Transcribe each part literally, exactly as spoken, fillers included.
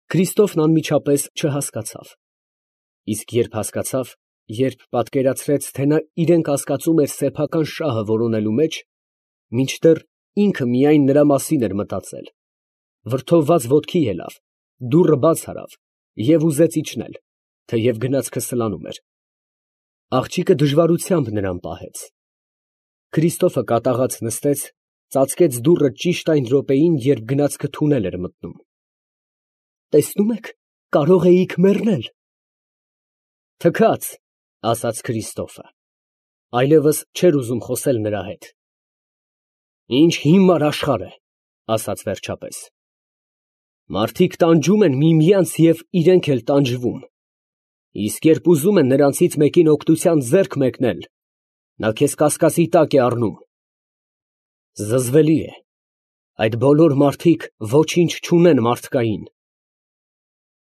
Քրիստոֆն անմիջապես չհասկացավ, իսկ երբ հասկացավ, երբ պատկերացրեց, թե նա իրեն կասկածում էր սեփական շահը որոնելու մեջ, մինչդեռ ինքը միայն նրա մասին էր մտածել, վրդովված ոտքի ելավ, դուռը բաց արավ և ուզեց իջնել, թեև գնացքը սլանում էր. աղջիկը դժվարությամբ նրան պահեց։ Քրիստոֆը կատաղած նստեց, ծածկեց դուռը ճիշտ այն րոպեին, երբ գնացքը թունել էր մտնում։ «Տեսնում եք, կարող էիք մեռնել»։ «Թքած», ասաց Քրիստոֆը, այլևս չէր ուզում խոսել նրա հետ։ «Ինչ հիմար աշխարհ է», ասաց վերջապես։ «Մարդիկ տանջում են միմյանց և իրենք էլ տանջվում, իսկ երբ ուզում են նրանցից մեկին օգնության ձեռք մեկնել, նա քեզ կասկածի տակ է առնում։ Զզվելի է, այդ բոլոր մարդիկ ոչինչ չունեն մարդկային»։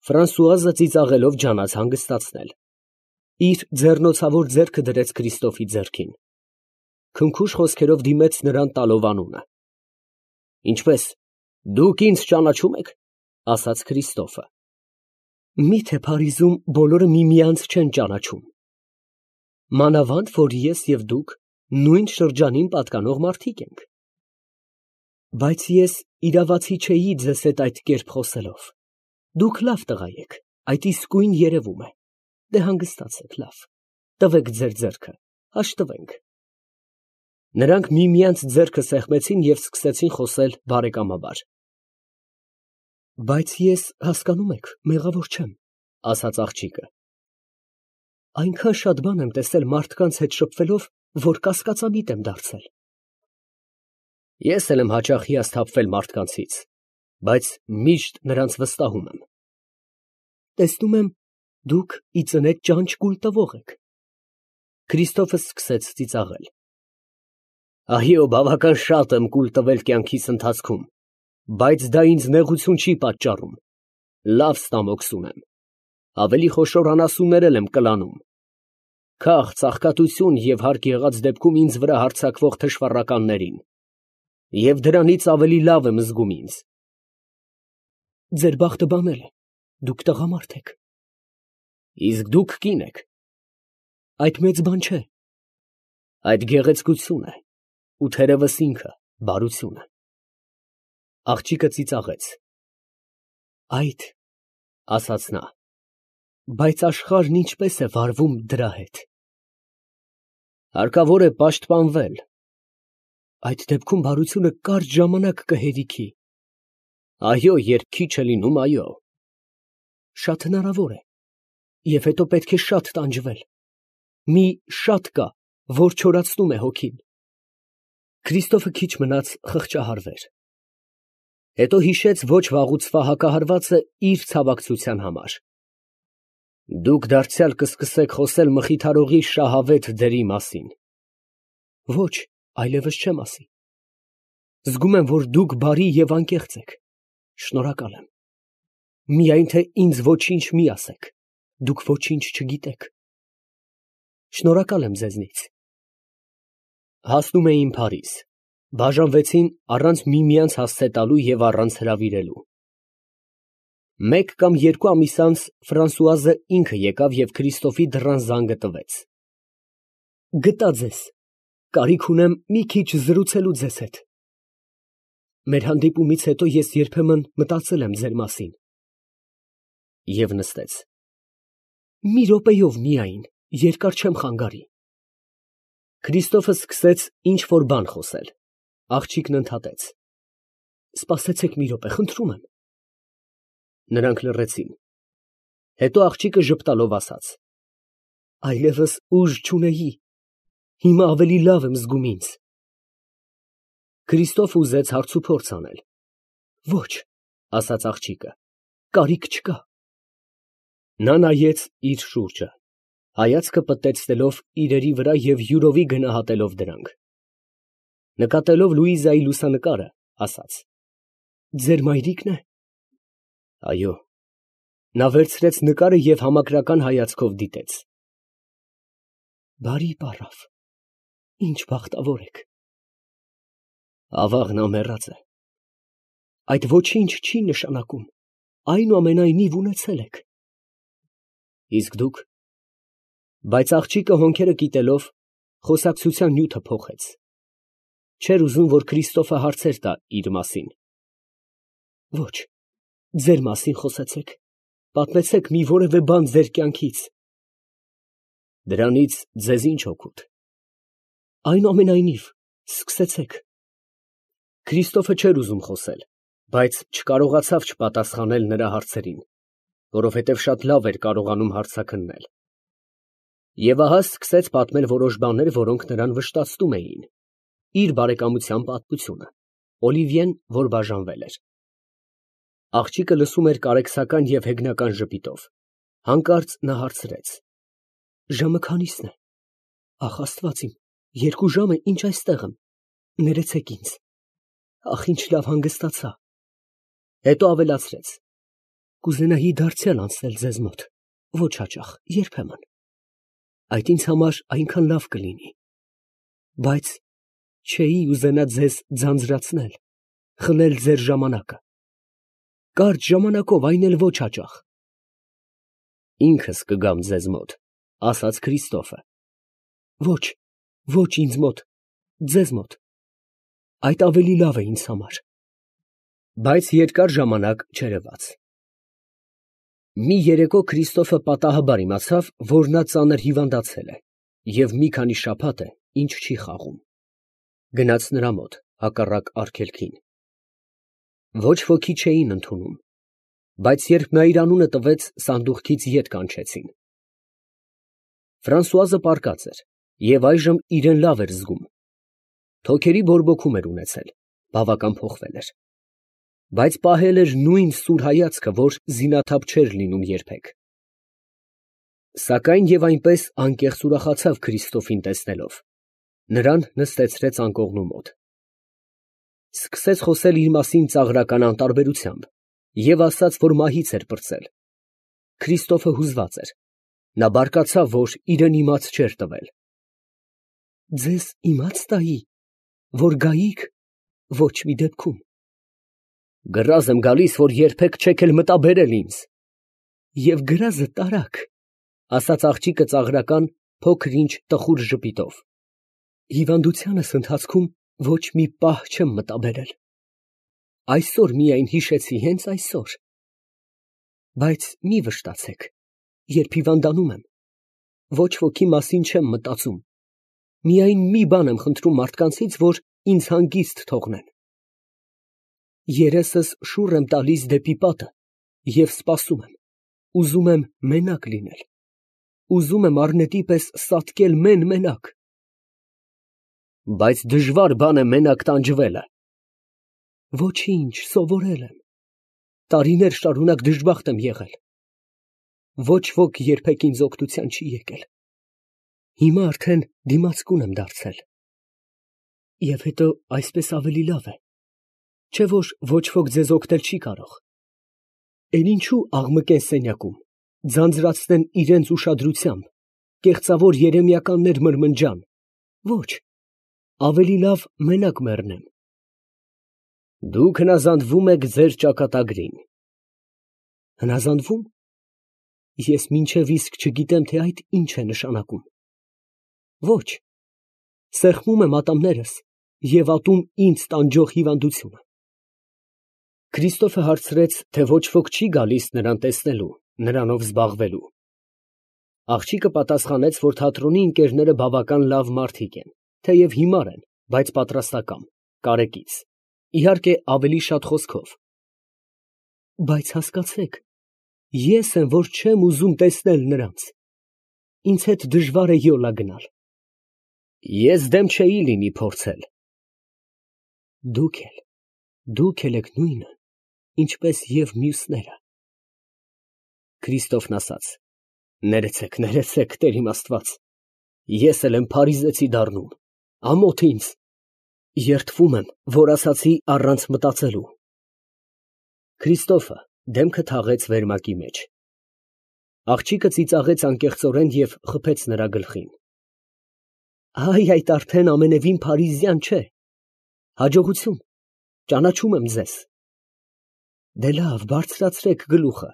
Ֆրանսուազը ծիծաղելով ջանաց հանգստացնել, իր ձեռնոցավոր ձեռքը դրեց Քրիստոֆի ձեռքին, քնքուշ խոսքերով դիմեց նրան տալով անունը։ «Ինչպե՞ս, դուք ինձ ճանաչում եք», ասաց Քրիստոֆը։ «Մի՞թե Փարիզում բոլորը միմյանց չեն ճանաչում։ Մանավանդ որ ես և դուք նույն շրջանին պատկանող մարդիկ ենք։ Բայց ես իրավացի չէի ձեզ հետ այդ կերպ խոսելով։ Դուք լավ տղա եք, այդ իսկույն երևում է։ Դե հանգստացեք, լավ, տվեք ձեր ձեռքը, հաշտվենք»։ Նրանք միմյանց ձեռքը սեղմեցին և սկսեցին խոսել բարեկամաբար։ «Բայց ես, հասկանում եք, մեղավոր չեմ», ասաց աղջիկը։ «Այնքան շատ բան եմ տեսել մարդկանց հետ շփվելով, որ կասկածամիտ եմ դարձել»։ «Ես էլ եմ հաճախ հիասթափվել մարդկանցից, բայց միշտ նրանց վստահում եմ»։ «Տեսնում եմ, դուք ի ծնե ճանճ կուլ տվող եք»։ Քրիստոֆը սկսեց ծիծաղել։ «Այո, բավական շատ եմ կուլ տվել կյանքիս ընթացքում, բայց դա ինձ նեղություն չի պատճառում, լավ ստամոքս ունեմ, ավելի խոշոր անասուններ էլ եմ կլանում։ Քաղց, աղքատություն և հարկ եղած դեպքում ինձ վրա հարձակվող թշվառականներին, և դրանից ավելի լավ եմ զգում ինձ»։ «Ձեր բախտը բանել է, դուք տղամարդ եք»։ «Իսկ դուք կին եք»։ «Այդ մեծ բան չէ»։ «Այդ գեղեցկություն է, ու թերևս ինքը բարությունը»։ Աղջիկը ծիծաղեց։ «Այդ, ֊ ասաց նա, ֊ բայց աշխարհն ինչպես է վարվում դրա հետ»։ «Հարկավոր է պաշտպանվել»։ «Այդ դեպքում բարությունը կարճ ժամանակ կհերիքի»։ «Այո, երբ քիչ է լինում, այո»։ «Շատ հնարավոր է, և հետո պետք է շատ տանջվել։ Մի շատ կա, որ չորացնում է հոգին»։ Քրիստոֆը քիչ մնաց խղճահարվեր, հետո հիշեց ոչ վաղուց հակահարվածը իր ցավակցության համար։ «Դուք դարձյալ կսկսեք խոսել մխիթարողի շահավետ դերի մասին»։ «Ոչ, այլևս չեմ ասի։ Զգում եմ, որ դուք բարի և անկեղծ եք։ Շնորհակալ եմ։ Միայն թե ինձ ոչինչ մի ասեք, դուք ոչինչ չգիտեք։ Շնորհակալ եմ ձեզնից»։ Հասնում էին Փարիզ, բաժանվեցին առանց միմյանց հասցե տալու և առանց հրավիրելու։ Մեկ կամ երկու ամիս անց Ֆրանսուազը ինքը եկավ և Քրիստոֆի դռան զանգը տվեց։ «Գտա ձեզ, կարիք ունեմ մի քիչ զրուցելու ձեզ հետ։ Մեր հանդիպումից հետո ես երբեմն մտածել եմ ձեր մասին»։ Եվ նստեց։ «Մի րոպեով միայն, երկար չեմ խանգարի»։ Քրիստոֆը սկսեց ինչ֊որ բան խոսել։ Աղջիկն ընդհատեց։ «Սպասեցեք մի րոպե, խնդրում եմ»։ Նրանք լռեցին։ Հետո աղջիկը ժպտալով ասաց. «Այլևս ուժ չունեի, հիմա ավելի լավ եմ զգում ինձ»։ Քրիստոֆը ուզեց հարցուփորձ անել։ «Ոչ», ասաց աղջիկը, «կարիք չկա»։ Նա նայեց իր շուրջը, հայացքը պտտեցնելով իրերի վրա և յուրովի գնահատելով դրանք։ Նկատելով Լուիզայի լուսանկարը, ասաց. «Ձեր մայրիկն է»։ «Այո»։ Նա վերցրեց նկարը և համակրական հայացքով դիտեց։ «Բարի պառավ, ինչ բախտավոր եք»։ «Ավաղն ամեռած է»։ «Այդ ոչինչ չի նշանակում, այնուամենայնիվ ունեցել եք։ Իսկ դուք։ Բայց աղջիկը հոնքերը կիտելով խոսակցության նյութը փոխեց։ Չէր ուզում, որ Քրիստոֆը հարցեր տա իր մասին։ Ոչ, ձեր մասին խոսեցեք, պատմեցեք մի որևէ բան ձեր կյանքից։ Դրանից ձեզ ինչ օգուտ։ Այնուամենայնիվ, սկսեցեք։ Քրիստոֆը չէր ուզում խոսել, բայց չկարողացավ չպատասխանել նրա հարցերին, որովհետև շատ լավ էր կարողանում հարցաքննել։ Եվ ահա սկսեց պատմել որոշ բաներ, որոնք նրան վշտացնում էին։ Իր բարեկամության պատմությունը, Օլիվիեն, որ բաժանվել էր։ Աղջիկը լսում էր կարեկցական և հեգնական ժպիտով։ Հանկարծ նա հարցրեց. Ժամը քանի՞սն է։ Ախ, Աստված իմ, երկու ժամ է, ինչ այստեղ եմ։ Ներեցեք ինձ։ Ախ, ինչ լավ հանգստացա։ Հետո ավելացրեց. Կուզենայի դարձյալ անցնել ձեզ մոտ, ոչ հաճախ, երբեմն։ Այդ ինձ համար այնքան լավ կլինի։ Բայց չէի ուզենա ձեզ ձանձրացնել, խլել ձեր ժամանակը։ Կարճ ժամանակով, այն էլ ոչ հաճախ։ Ինքս կգամ ձեզ մոտ, ասաց Քրիստոֆը։ Ոչ, ոչ ինձ մոտ, ձեզ մոտ։ Այդ ավելի լավ է ինձ համար։ Բայց երկար ժամանակ չերևաց։ Մի երեկո Քրիստոֆը պատահաբար իմացավ, որ նա ծանր հիվանդացել է և մի քանի շաբաթ է, ինչ չի խաղում։ Գնաց նրա մոտ, հակառակ արգելքին։ Ոչ ոքի չէին ընդունում, բայց երբ նա իր անունը տվեց, սանդուղքից ետ կանչեցին։ Ֆրանսուազը պառկած էր և այժմ իրեն լավ էր զգում։ Թոքերի բորբոքում էր ունեցել, բավական փոխվել էր, բայց պահել էր նույն սուր հայացքը, որ զինաթափ չէր լինում երբեք։ Սակայն և այնպես անկեղծ ուրախացավ Քրիստոֆին տեսնելով, նրան նստեցրեց անկողնու մոտ։ Սկսեց խոսել իր մասին ծաղրական անտարբերությամբ և ասաց, որ մահից էր պրծել։ Քրիստոֆը հուզված էր, նա բարկացավ, որ իրեն իմաց չէր տվել։ Ձեզ իմաց տայի, որ գայիք, ոչ մի դեպքում։ Գրազ եմ գալիս, որ երբեք չեք էլ մտաբերել ինձ։ Եվ գրազը տարաք, ասաց աղջիկը ծաղրական, փոքր-ինչ տխուր ժպիտով։ Հիվանդությանս ընթացքում ոչ մի պահ չեմ մտաբերել։ Այսօր միայն հիշեցի, հենց այսօր։ Բայց մի վշտացեք, երբ հիվանդանում եմ, ոչ ոքի մասին չեմ մտածում, միայն մի բան եմ խնդրում մարդկանցից, որ ինձ հանգիստ թողնեն։ Երեսս շուռ եմ տալիս դեպի պատը և սպասում եմ, ուզում եմ մենակ լինել, ուզում եմ առնետի պես սատկել մեն֊մենակ։ Բայց դժվար բան է մենակ տանջվելը։ Ոչինչ, սովորել եմ, տարիներ շարունակ դժբախտ եմ եղել, ոչ ոք երբեք ինձ օգնության չի եկել, հիմա արդեն դիմացկուն եմ դարձել։ Եվ հետո այսպես ավելի լավ է, չէ՞ որ ոչ ոք ձեզ օգնել չի կարող։ Էլ ինչու աղմկեն սենյակում, ձանձրացնեն իրենց ուշադրությամբ, կեղծավոր երեմիականներ մրմնջան, ոչ, ավելի լավ մենակ մեռնեմ։ Դուք հնազանդվում եք ձեր ճակատագրին։ Հնազանդվո՞ւմ։ Ես մինչև իսկ չգիտեմ, թե այդ ինչ է նշանակում։ Ոչ, սեղմում եմ ատամներս և ատում ինձ տանջող հիվանդությունը։ Քրիստոֆը հարցրեց, թե ոչ ոք չի գալիս նրան տեսնելու, նրանով զբաղվելու։ Աղջիկը պատասխանեց, որ թատրոնի ընկերները բավական լավ մարդիկ են, թեև հիմար են, բայց պատրաստակամ, կարեկից, իհարկե ավելի շատ խոսքով։ Բայց հասկացեք, ես եմ, որ չեմ ուզում տեսնել նրանց, ինձ հետ դժվար է յոլա գնալ։ Ես դեմ չէի լինի փորձել։ Դուք էլ, դուք էլ եք նույնը, ինչպես և մյուսները։ Քրիստոֆն ասաց. Ներեցեք, ներեցեք, Տեր իմ Աստված, ես էլ եմ փարիզեցի դառնում, ամոթ ինձ, երդվում եմ, որ ասացի առանց մտածելու։ Քրիստոֆը դեմքը թաղեց վերմակի մեջ։ Աղջիկը ծիծաղեց անկեղծորեն և խփեց նրա գլխին։ Այ, այդ արդեն ամենևին փարիզյան չէ։ Հաջողություն, ճանաչում եմ ձեզ։ Դե լավ, բարձրացրեք գլուխը,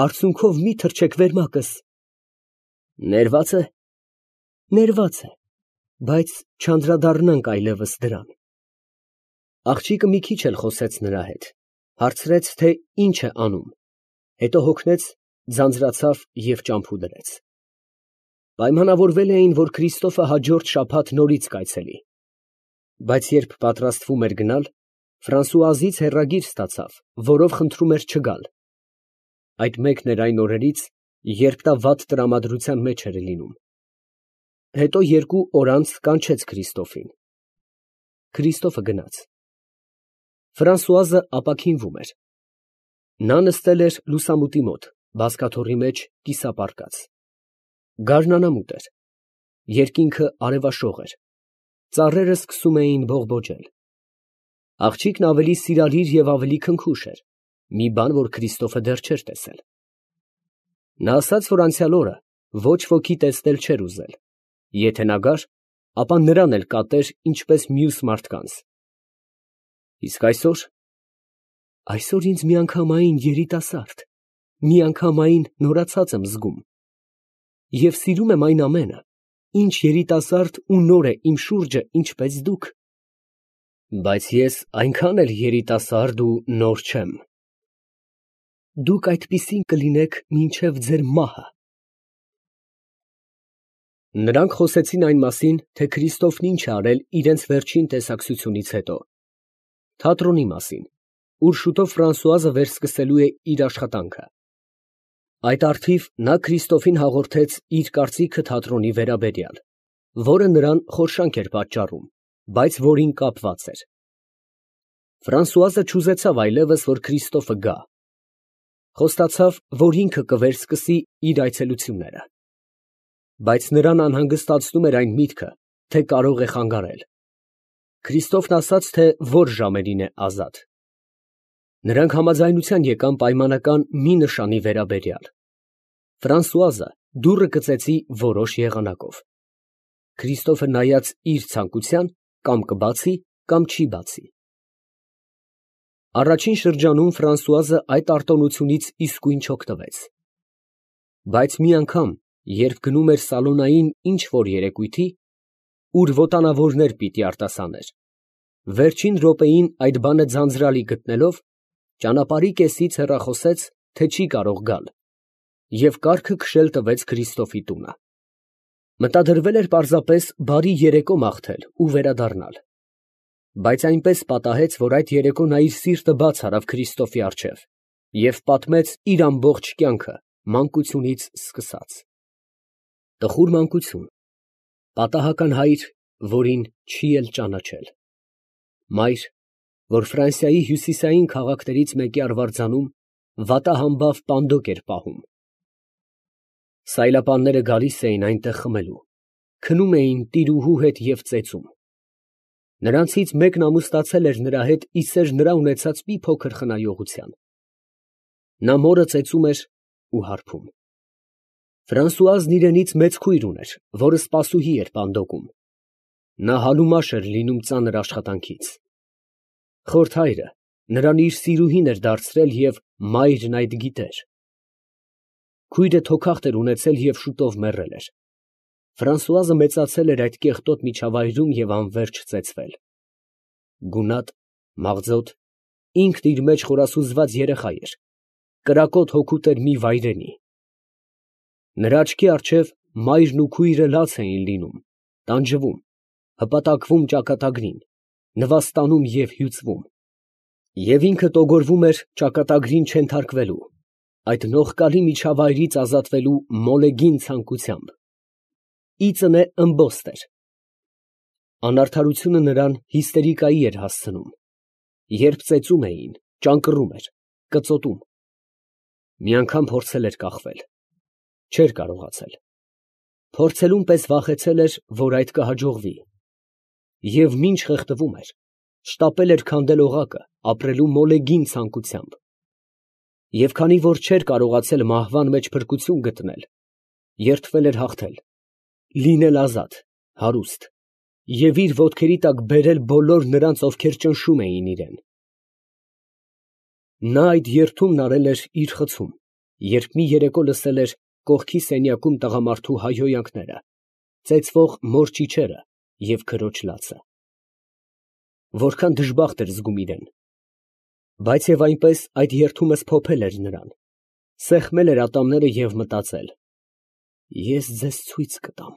արցունքով մի թռչեք վերմակս։ Ներված է։ Ներված է, բայց չանդրադառնանք այլևս դրան։ Աղջիկը մի քիչ էլ խոսեց նրա հետ, հարցրեց, թե ինչ է անում, հետո հոգնեց, ձանձրացավ և ճամփու դրեց։ Պայմանավորվել էին, որ Քրիստոֆը հաջորդ շաբաթ նորից կայցելի, բայց երբ պատրաստվում էր գնալ, Ֆրանսուազից հեռագիր ստացավ, որով խնդրում էր չգալ։ Այդ մեկն էր այն օրերից, երբ նա վատ տրամադրության մեջ էր լինում։ Հետո երկու օր անց կանչեց Քրիստոֆին։ Քրիստոֆը գնաց։ Ֆրանսուազը ապաքինվում էր։ Նա նստել էր լուսամուտի մոտ, բազկաթոռի մեջ կիսապառկած։ Գարնանամուտ էր, երկինքը արևաշող էր, ծառերը սկսում էին բողբոջել։ Աղջիկն ավելի սիրալիր և ավելի քնքուշ էր, մի բան, որ Քրիստոֆը դեռ չէր տեսել։ Նա ասաց, որ անցյալ օրը ոչ ոքի տեսնել չէր ուզել, եթե նա գար, ապա նրան էլ կատեր, ինչպես մյուս մարդկանց։ Իսկ այսօր… այսօր ինձ միանգամայն երիտասարդ, միանգամայն նորացած եմ զգում և սիրում եմ այն ամենը, ինչ երիտասարդ ու նոր է իմ շուրջը, ինչպես դուք։ Բայց ես այնքան էլ երիտասարդ ու նոր չեմ։ Դուք այդպիսին կլինեք մինչև ձեր մահը։ Նրանք խոսեցին այն մասին, թե Քրիստոֆն ինչ է արել իրենց վերջին տեսակցությունից հետո, թատրոնի մասին, ուր շուտով Ֆրանսուազը վերսկսելու է իր աշխատանքը։ Այդ առթիվ նա Քրիստոֆին հաղորդեց իր կարծիքը թատրոնի վերաբերյալ, որը նրան խորշանք էր պատճառում, բայց որին կապված էր։ Ֆրանսուազը չուզեցավ այլևս, որ Քրիստոֆը գա։ Խոստացավ, որ ինքը կվերսկսի իր այցելությունները։ Բայց նրան անհանգստացնում էր այն միտքը, թե կարող է խանգարել։ Քրիստոֆն ասաց, թե որ ժամերին է ազատ։ Նրանք համաձայնության եկան պայմանական մի նշանի վերաբերյալ։ Ֆրանսուազը դուռը կծեցի որոշ եղանակով։ Քրիստոֆը նայած իր ցանկության, կամ կբացի, կամ չի բացի։ Առաջին շրջանում Ֆրանսուազը այդ արտոնությունից իսկույն չօգտվեց։ Բայց մի անգամ, երբ գնում էր սալոնային ինչ֊որ երեկույթի, ուր ոտանավորներ պիտի արտասաներ, վերջին րոպեին այդ բանը ձանձրալի գտնելով, ճանապարհի կեսից հեռախոսեց, թե չի կարող գալ, և կարգը քշել տվեց Քրիստոֆի տունը։ Մտադրվել էր պարզապես բարի երեկո մաղթել ու վերադառնալ։ Բայց այնպես պատահեց, որ այդ երեկո նա իր սիրտը բաց արավ Քրիստոֆի առջև և պատմեց իր ամբողջ կյանքը մանկությունից սկսած։ Տխուր մանկություն, պատահական հայր, որին չի էլ ճանաչել, մայր, որ Ֆրանսիայի հյուսիսային քաղաքներից մեկի արվարձանում վատահամբավ պանդոկ էր պահում։ Սայլապանները գալիս էին այնտեղ խմելու, քնում էին տիրուհու հետ և ծեծում։ Նրանցից մեկն ամուսնացել էր նրա հետ ի սեր նրա ունեցած մի փոքր խնայողության։ Նա մորը ծեծում էր ու հարբում։ Ֆրանսուազն իրենից մեծ քույր ուներ, որը սպասուհի էր պանդոկում։ Նա հալումաշ էր լինում ծանր աշխատանքից։ Խորթ հայրը նրան իր սիրուհին էր դարձրել և մայրն այդ գիտեր։ Քույրը թոքախտ էր ունեցել և շուտով մեռել էր։ Ֆրանսուազը մեծացել էր այդ կեղտոտ միջավայրում և անվերջ ծեծվել։ Գունատ, մաղձոտ, ինքն իր մեջ խորասուզված երեխա էր, կրակոտ հոգուտ էր մի վայրենի։ Նրա աչքի առջև մայրն ու քույրը լաց էին լինում, տանջվում, հպատակվում ճակատագրին, նվաստանում և հյուծվում։ Եվ ինքը տոգորվում էր ճակատագրին չենթարկվելու, այդ նողկալի միջավայրից ազատվելու մոլեգին ցանկությամբ։ Իծն է ըմբոստ էր։ Անարդարությունը նրան հիստերիկայի էր հասցնում։ Երբ ծեծում էին, ճանկռում էր, կծոտում։ Մի անգամ փորձել էր կախվել։ Չէր կարողացել։ Փորձելուն պես վախեցել էր, որ այդ կհաջողվի։ Եվ մինչ խեղդվում էր, շտապել էր քանդել օղակը ապրելու մոլեգին ցանկությամբ։ Եվ քանի որ չէր կարողացել մահվան մեջ փրկություն գտնել, երդվել էր հաղթել, լինել ազատ, հարուստ և իր ոտքերի տակ բերել բոլոր նրանց, ովքեր ճնշում էին իրան։ Նա այդ երդումն արել էր իր խցում, երբ մի երեկո լսել էր կողքի սենյակում տղամարդու հայհոյանքները, ծեծվող մոր ճիչերը և քրոջ լացը… Որքան դժբախտ էր զգում իրեն… Բայց և այնպես այդ երդումը սփոփել էր նրան, սեղմել էր ատամները և մտածել. «Ես ձեզ ցույց կտամ։